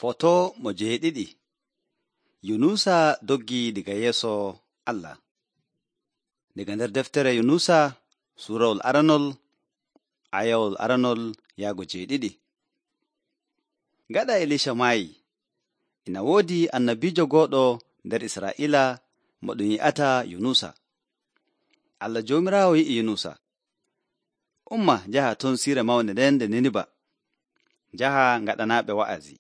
Foto mo jeeɗiɗi. Yunusa doggii diga yeeso Allah. Daga nder deftere Yunusa suurawol aranol ayawol aranol yaago jeeɗiɗi. Gaɗa Elisha maayi, ina woodi annabiijo gooɗo nder Israa'iila mo ɗum yi'ata Yunusa. Allah Joomiraawo yi'i Yunusa, umma njaha ton siire mawnde nden nde Niniba, njaha ngaɗanaaɓe wa'azi.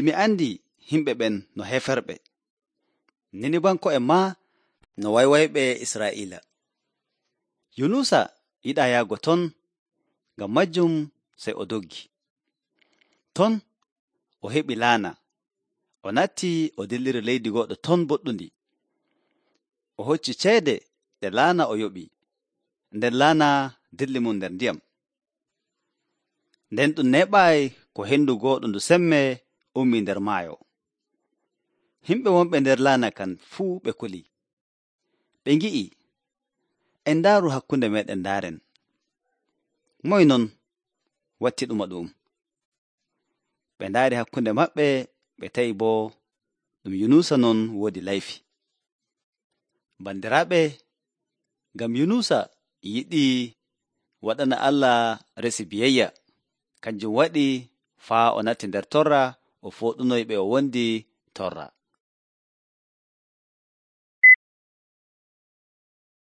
Mi andi himɓe ɓen no heferɓe, Ninibanko'en maa no waywayɓe Israa'iila. Yunusa yiɗaa yahgo ton, ngam majjum sey o doggi. Ton o heɓi laana, o nattii o dilliri leydi goɗɗo ton boɗɗundi. O hocci ceede ɗe laana o yoɓi, nden laana dilli mum nder ndiyam. Nden ɗum neeɓaayi ko henndu gooɗo ndu semmee ummii nder maayo. Himɓe wonɓe nder laana kan fuu ɓe kuli. Ɓe ngi'i, en ndaaru hakkunde meeɗen ndaaren. Moy non watti ɗuma ɗum? Ɓe ndaari hakkunde maɓɓe, ɓe tawi boo ɗum Yunusa non woodi layfi. Bandiraaɓe, ngam Yunusa yiɗii waɗana Allah resi biyayya, kanjum waɗi faa o natti nder torra o fooɗunoy ɓe o wondi torra.